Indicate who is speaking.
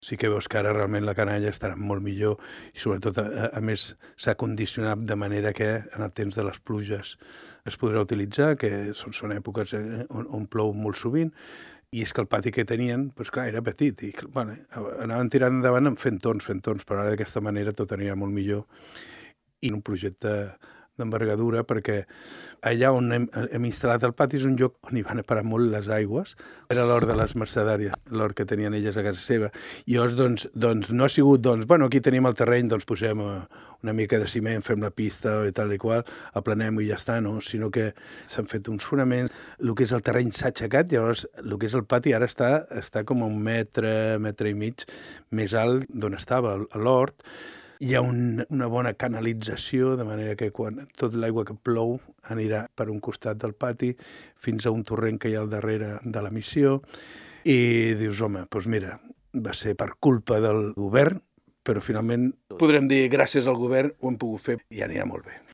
Speaker 1: Sí que veus que ara realment la canalla estarà molt millor i sobretot, a més, s'ha condicionat de manera que en el temps de les pluges es podrà utilitzar, que són èpoques on plou molt sovint, i és que el pati que tenien, doncs clar, era petit, i bueno, anaven tirant endavant fent tons, però ara d'aquesta manera tot anirà molt millor. I un projecte d'envergadura, perquè allà on hem instal·lat el pati és un lloc on hi van a parar molt les aigües. Era l'hort de les mercedàries, l'hort que tenien elles a casa seva. I llavors, doncs no ha sigut, bueno, aquí tenim el terreny, doncs posem una mica de ciment, fem la pista i tal i qual, aplanem i ja està, no? Sinó que s'han fet uns fonaments, el que és el terreny s'ha aixecat, llavors el que és el pati ara està com a 1 metre, metre i mig més alt d'on estava l'hort. Hi ha una bona canalització, de manera que quan tot l'aigua que plou anirà per un costat del pati fins a un torrent que hi ha al darrere de la missió. I dius, home, doncs mira, va ser per culpa del govern, però finalment podrem dir gràcies al govern ho hem pogut fer i anirà molt bé.